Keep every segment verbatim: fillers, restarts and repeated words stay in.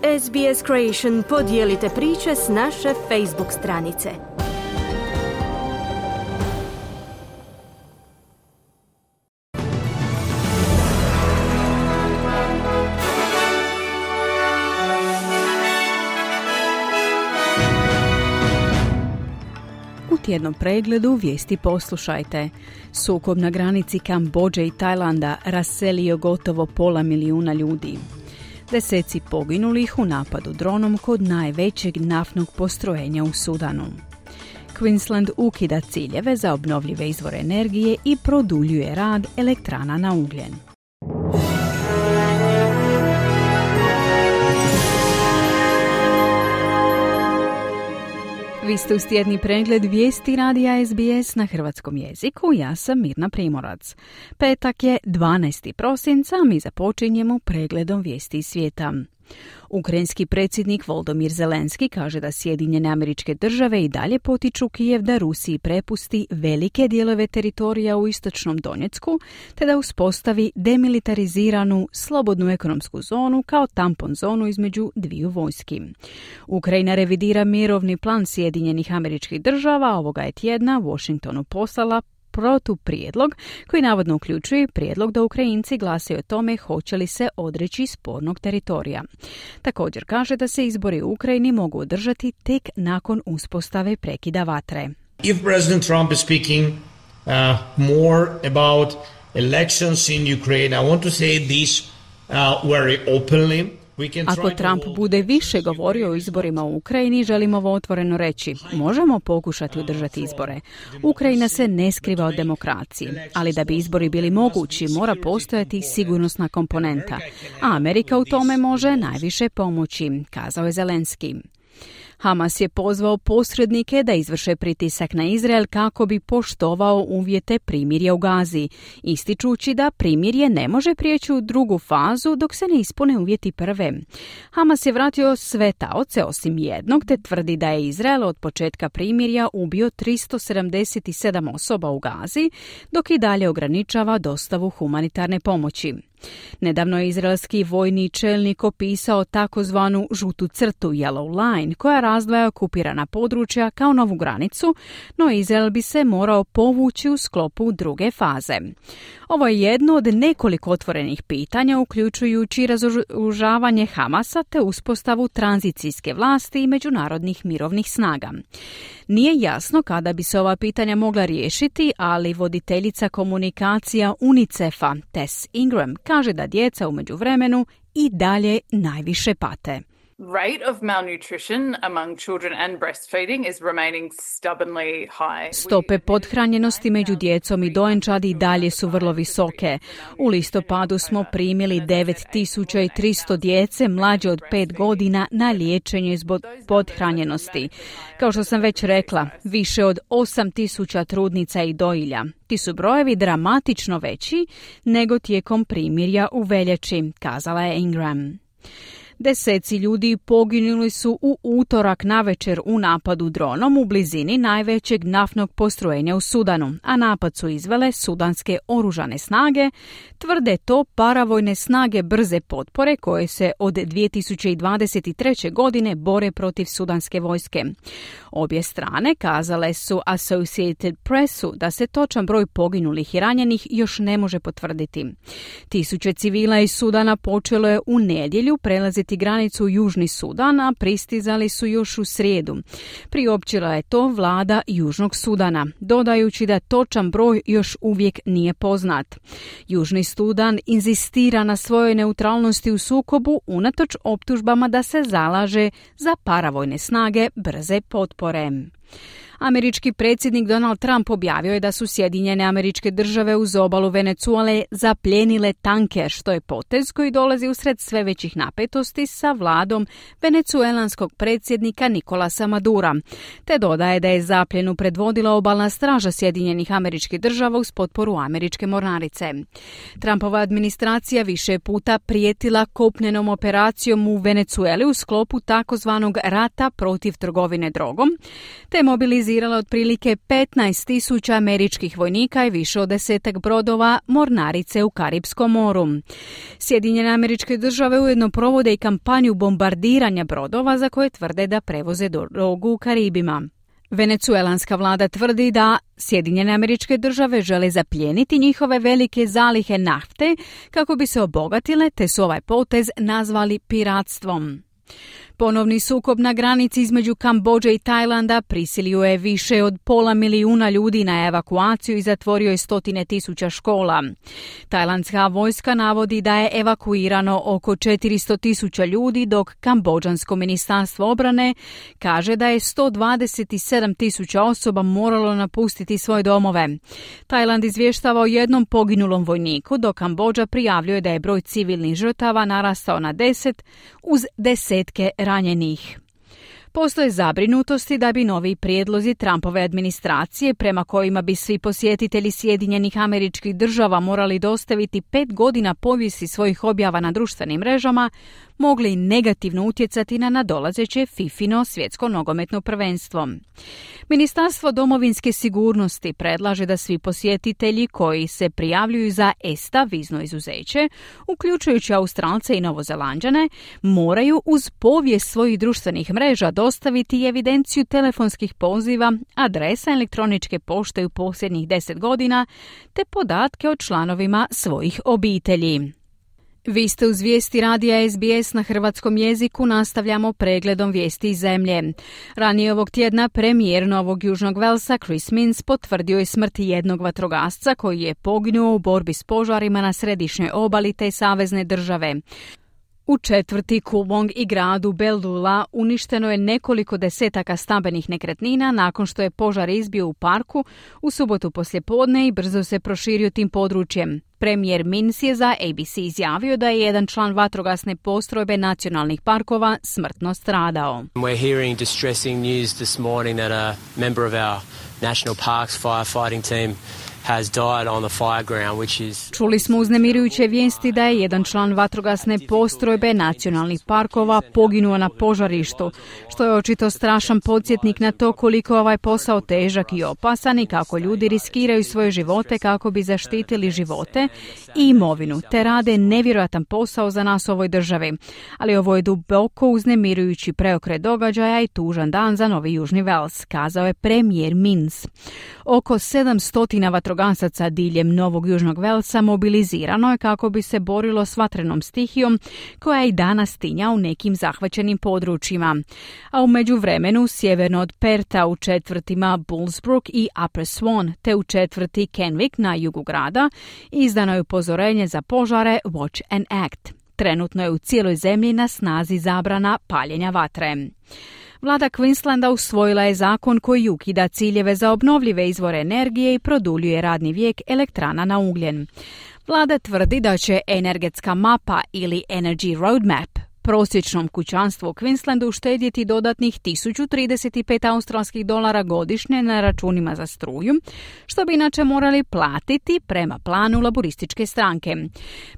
S B S Creation podijelite priče s naše Facebook stranice. U tjednom pregledu vijesti poslušajte. Sukob na granici Kambodže i Tajlanda raselio gotovo pola milijuna ljudi. Deseci poginulih u napadu dronom kod najvećeg naftnog postrojenja u Sudanu. Queensland ukida ciljeve za obnovljive izvore energije i produljuje rad elektrana na ugljen. Vi ste uz tjedni pregled vijesti radija S B S na hrvatskom jeziku. Ja sam Mirna Primorac. Petak je dvanaesti prosinca, mi započinjemo pregledom vijesti iz svijeta. Ukrajinski predsjednik Volodymyr Zelenski kaže da Sjedinjene Američke Države i dalje potiču Kijev da Rusiji prepusti velike dijelove teritorija u istočnom Donjecku, te da uspostavi demilitariziranu slobodnu ekonomsku zonu kao tampon zonu između dviju vojski. Ukrajina revidira mirovni plan Sjedinjenih Američkih Država, ovoga je tjedna Washingtonu poslala protuprijedlog koji navodno uključuje prijedlog da Ukrajinci glasaju o tome hoće li se odreći spornog teritorija. Također kaže da se izbori u Ukrajini mogu održati tek nakon uspostave prekida vatre. If President Trump is speaking uh, more about elections in Ukraine, I want to say this uh, very openly. Ako Trump bude više govorio o izborima u Ukrajini, želimo ovo otvoreno reći. Možemo pokušati održati izbore. Ukrajina se ne skriva od demokracije, ali da bi izbori bili mogući, mora postojati sigurnosna komponenta. A Amerika u tome može najviše pomoći, kazao je Zelenski. Hamas je pozvao posrednike da izvrše pritisak na Izrael kako bi poštovao uvjete primirja u Gazi, ističući da primirje ne može prijeći u drugu fazu dok se ne ispune uvjeti prve. Hamas je vratio sve taoce osim jednog, te tvrdi da je Izrael od početka primirja ubio tristo sedamdeset sedam osoba u Gazi, dok i dalje ograničava dostavu humanitarne pomoći. Nedavno je izraelski vojni čelnik opisao takozvanu žutu crtu Yellow Line, koja razdvaja okupirana područja kao novu granicu, no Izrael bi se morao povući u sklopu druge faze. Ovo je jedno od nekoliko otvorenih pitanja, uključujući razoružavanje Hamasa te uspostavu tranzicijske vlasti i međunarodnih mirovnih snaga. Nije jasno kada bi se ova pitanja mogla riješiti, ali voditeljica komunikacija UNICEF-a Tess Ingram kaže da djeca u međuvremenu i dalje najviše pate. Rate of malnutrition among children and breastfeeding is remaining stubbornly high. Stope pothranjenosti među djecom i dojenčadi dalje su vrlo visoke. U listopadu smo primili devet tisuća tristo djece mlađe od pet godina na liječenje zbog pothranjenosti. Kao što sam već rekla, više od osam tisuća trudnica i dojilja. Ti su brojevi dramatično veći nego tijekom primirja u veljači, kazala je Ingram. Deseci ljudi poginuli su u utorak navečer u napadu dronom u blizini najvećeg naftnog postrojenja u Sudanu, a napad su izvele sudanske oružane snage, tvrde to paravojne snage brze potpore koje se od dvije tisuće dvadeset treće. godine bore protiv sudanske vojske. Obje strane kazale su Associated Pressu da se točan broj poginulih i ranjenih još ne može potvrditi. Tisuće civila iz Sudana počelo je u nedjelju prelaziti granicu u Južni Sudan, a pristizali su još u srijedu. Priopćila je to vlada Južnog Sudana, dodajući da točan broj još uvijek nije poznat. Južni Sudan inzistira na svojoj neutralnosti u sukobu unatoč optužbama da se zalaže za paravojne snage brze potpore. Američki predsjednik Donald Trump objavio je da su Sjedinjene Američke Države uz obalu Venezuele zapljenile tanker, što je potez koji dolazi usred sve većih napetosti sa vladom venecuelanskog predsjednika Nicolasa Madura, te dodaje da je zapljenu predvodila obalna straža Sjedinjenih Američkih Država uz potporu američke mornarice. Trumpova administracija više puta prijetila kopnenom operacijom u Venecueli u sklopu takozvanog rata protiv trgovine drogom, te mobilizirala mobilizirala otprilike petnaest tisuća američkih vojnika i više od desetak brodova mornarice u Karipskom moru. Sjedinjene Američke Države ujedno provode i kampanju bombardiranja brodova za koje tvrde da prevoze drogu u Karibima. Venecuelanska vlada tvrdi da Sjedinjene Američke Države žele zaplijeniti njihove velike zalihe nafte kako bi se obogatile, te su ovaj potez nazvali piratstvom. Ponovni sukob na granici između Kambodže i Tajlanda prisilio je više od pola milijuna ljudi na evakuaciju i zatvorio je stotine tisuća škola. Tajlandska vojska navodi da je evakuirano oko četiristo tisuća ljudi, dok Kambodžansko ministarstvo obrane kaže da je sto dvadeset sedam tisuća osoba moralo napustiti svoje domove. Tajland izvještava o jednom poginulom vojniku, dok Kambodža prijavljuje da je broj civilnih žrtava narastao na deset uz desetke ranjenih. Postoje zabrinutosti da bi novi prijedlozi Trumpove administracije, prema kojima bi svi posjetitelji Sjedinjenih Američkih Država morali dostaviti pet godina povijesti svojih objava na društvenim mrežama, mogli negativno utjecati na nadolazeće fifino svjetsko nogometno prvenstvo. Ministarstvo domovinske sigurnosti predlaže da svi posjetitelji koji se prijavljuju za E S T A vizno izuzeće, uključujući Australce i Novozelanđane, moraju uz povijest svojih društvenih mreža dostaviti evidenciju telefonskih poziva, adresa elektroničke pošte u posljednjih deset godina, te podatke o članovima svojih obitelji. Vi ste uz vijesti radija S B S na hrvatskom jeziku, nastavljamo pregledom vijesti iz zemlje. Ranije ovog tjedna premijer Novog Južnog Velsa Chris Minns potvrdio je smrt jednog vatrogasca koji je poginuo u borbi s požarima na središnjoj obali te savezne države. U četvrti Coolbong i gradu Bellula uništeno je nekoliko desetaka stambenih nekretnina nakon što je požar izbio u parku u subotu poslijepodne i brzo se proširio tim područjem. Premijer Minns je za A B C izjavio da je jedan član vatrogasne postrojbe nacionalnih parkova smrtno stradao. We're hearing distressing news this morning that a member of our National Parks firefighting team has died on the fire ground, which is... Čuli smo uznemirujuće vijesti da je jedan član vatrogasne postrojbe nacionalnih parkova poginuo na požarištu, što je očito strašan podsjetnik na to koliko je ovaj posao težak i opasan i kako ljudi riskiraju svoje živote kako bi zaštitili živote i imovinu, te rade nevjerojatan posao za nas u ovoj državi. Ali ovo je duboko uznemirujući preokret događaja i tužan dan za Novi Južni Vels, kazao je premijer Minns. Oko sedamsto vatrogasaca diljem Novog Južnog Velsa mobilizirano je kako bi se borilo s vatrenom stihijom koja i danas tinja u nekim zahvaćenim područjima. A u međuvremenu sjeverno od Perta u četvrtima Bullsbrook i Upper Swan te u četvrti Kenwick na jugu grada izdano je upozorenje za požare Watch and Act. Trenutno je u cijeloj zemlji na snazi zabrana paljenja vatre. Vlada Queenslanda usvojila je zakon koji ukida ciljeve za obnovljive izvore energije i produljuje radni vijek elektrana na ugljen. Vlada tvrdi da će energetska mapa ili Energy Roadmap prosječnom kućanstvu u Queenslandu uštedjeti dodatnih tisuću trideset pet australskih dolara godišnje na računima za struju, što bi inače morali platiti prema planu laborističke stranke.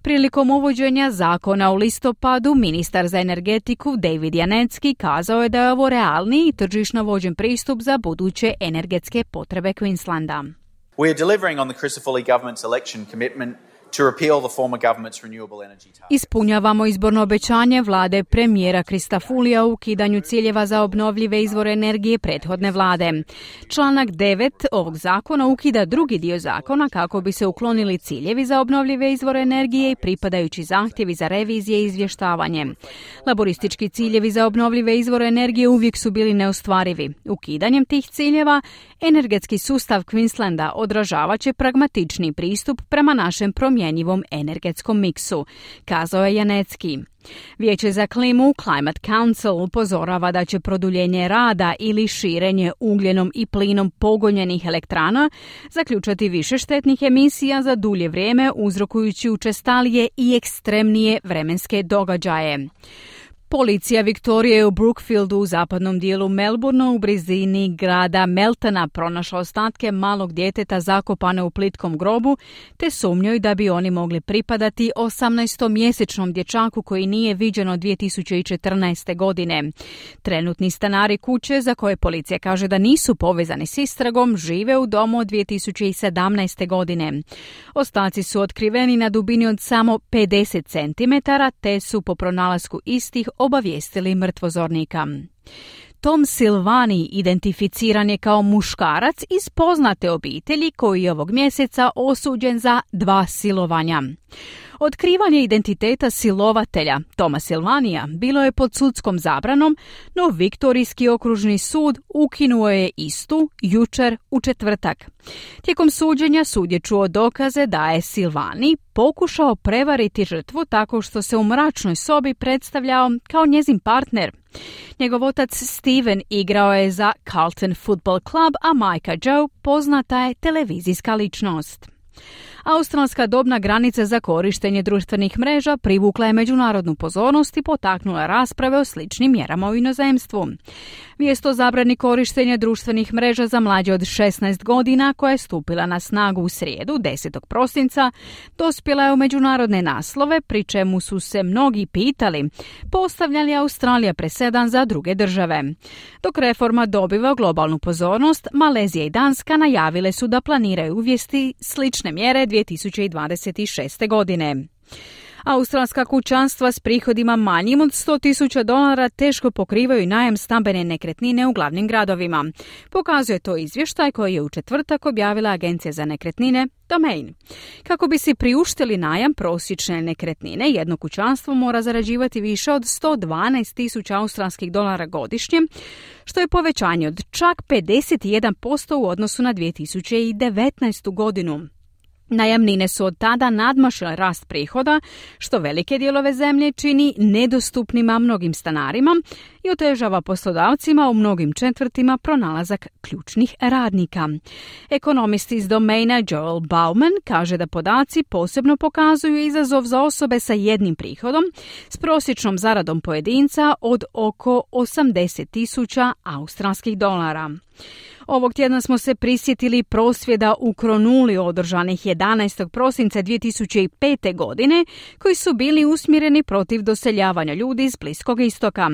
Prilikom uvođenja zakona u listopadu, ministar za energetiku David Janetski kazao je da je ovo realni i tržišno vođen pristup za buduće energetske potrebe Queenslanda. We are delivering on the Crisafulli government's election commitment to repeal the former government's renewable energy targets. Ispunjavamo izborno obećanje vlade premijera Christophulija u ukidanju ciljeva za obnovljive izvore energije prethodne vlade. Članak devet ovog zakona ukida drugi dio zakona kako bi se uklonili ciljevi za obnovljive izvore energije i pripadajući zahtjevi za revizije i izvještavanje. Laboristički ciljevi za obnovljive izvore energije uvijek su bili neostvarivi. Ukidanjem tih ciljeva energetski sustav Queenslanda odražavat će pragmatični pristup prema našem promjenjivom energetskom miksu, kazao je Janetski. Vijeće za klimu Climate Council upozorava da će produljenje rada ili širenje ugljenom i plinom pogonjenih elektrana zaključati više štetnih emisija za dulje vrijeme, uzrokujući učestalije i ekstremnije vremenske događaje. Policija Viktorije u Brookfieldu u zapadnom dijelu Melbournea u blizini grada Meltona pronašla ostatke malog djeteta zakopane u plitkom grobu, te sumnjaju da bi oni mogli pripadati osamnaestomjesečnom dječaku koji nije viđen od dvije tisuće četrnaeste. godine. Trenutni stanari kuće, za koje policija kaže da nisu povezani s istragom, žive u domu od dvije tisuće sedamnaeste. godine. Ostaci su otkriveni na dubini od samo pedeset centimetara, te su po pronalasku istih obavijestili mrtvozornika. Tom Silvani identificiran je kao muškarac iz poznate obitelji koji je ovog mjeseca osuđen za dva silovanja. Otkrivanje identiteta silovatelja Toma Silvanija bilo je pod sudskom zabranom, no Viktorijski okružni sud ukinuo je istu jučer u četvrtak. Tijekom suđenja sud je čuo dokaze da je Silvani pokušao prevariti žrtvu tako što se u mračnoj sobi predstavljao kao njezin partner. Njegov otac Steven igrao je za Carlton Football Club, a majka Joe poznata je televizijska ličnost. Australska dobna granica za korištenje društvenih mreža privukla je međunarodnu pozornost i potaknula rasprave o sličnim mjerama u inozemstvu. Vijest o zabrani korištenja društvenih mreža za mlađe od šesnaest godina, koja je stupila na snagu u srijedu, desetog prosinca, dospjela je u međunarodne naslove, pri čemu su se mnogi pitali postavlja li Australija presedan za druge države. Dok reforma dobiva globalnu pozornost, Malezija i Danska najavile su da planiraju uvesti slične mjere dvije tisuće dvadeset šeste. godine. Australska kućanstva s prihodima manjim od sto tisuća dolara teško pokrivaju najam stambene nekretnine u glavnim gradovima. Pokazuje to izvještaj koji je u četvrtak objavila Agencija za nekretnine Domain. Kako bi si priuštili najam prosječne nekretnine, jedno kućanstvo mora zarađivati više od sto dvanaest tisuća australskih dolara godišnje, što je povećanje od čak pedeset jedan posto u odnosu na dvije tisuće devetnaestu. godinu. Najamnine su od tada nadmašile rast prihoda, što velike dijelove zemlje čini nedostupnima mnogim stanarima i otežava poslodavcima u mnogim četvrtima pronalazak ključnih radnika. Ekonomist iz Domaina Joel Bauman kaže da podaci posebno pokazuju izazov za osobe sa jednim prihodom s prosječnom zaradom pojedinca od oko osamdeset tisuća australskih dolara. Ovog tjedna smo se prisjetili prosvjeda u Kronuli održanih jedanaestog prosinca dvije tisuće pete. godine, koji su bili usmjereni protiv doseljavanja ljudi iz Bliskog istoka.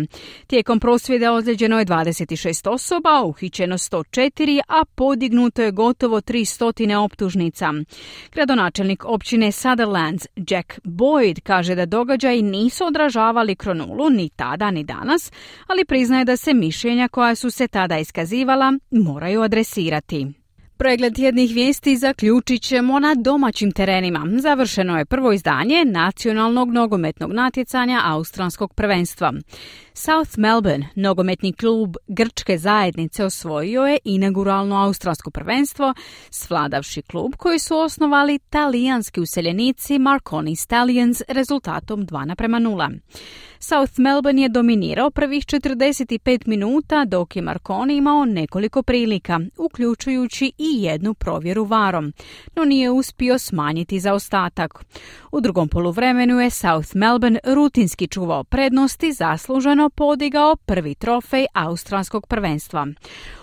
Tijekom prosvjeda ozlijeđeno je dvadeset šest osoba, uhićeno sto četiri, a podignuto je gotovo tristo optužnica. Gradonačelnik općine Sutherlands Jack Boyd kaže da događaji nisu odražavali Kronulu ni tada ni danas, ali priznaje da se mišljenja koja su se tada iskazivala moraju adresirati. Pregled tjednih vijesti zaključit ćemo na domaćim terenima. Završeno je prvo izdanje nacionalnog nogometnog natjecanja australskog prvenstva. South Melbourne, nogometni klub grčke zajednice, osvojio je inauguralno australsko prvenstvo, svladavši klub koji su osnovali talijanski useljenici Marconi Stallions rezultatom dva naprema nula. South Melbourne je dominirao prvih četrdeset pet minuta, dok je Marconi imao nekoliko prilika, uključujući i jednu provjeru varom, no nije uspio smanjiti zaostatak. U drugom poluvremenu je South Melbourne rutinski čuvao prednosti, zasluženo podigao prvi trofej australskog prvenstva.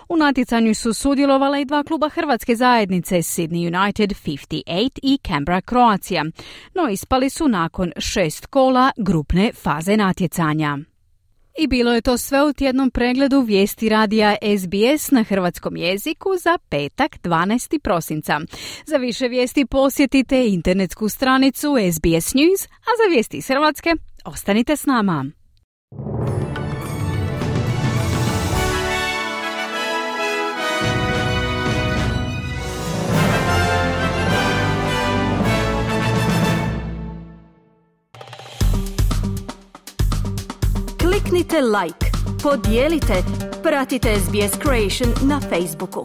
U natjecanju su sudjelovala i dva kluba hrvatske zajednice, Sydney United pedeset osam i Canberra Croatia, no ispali su nakon šest kola grupne faze natjecanja. I bilo je to sve u tjednom pregledu vijesti radija S B S na hrvatskom jeziku za petak dvanaestog prosinca. Za više vijesti posjetite internetsku stranicu S B S News, a za vijesti iz Hrvatske ostanite s nama. Kliknite like, podijelite, pratite S B S Creation na Facebooku.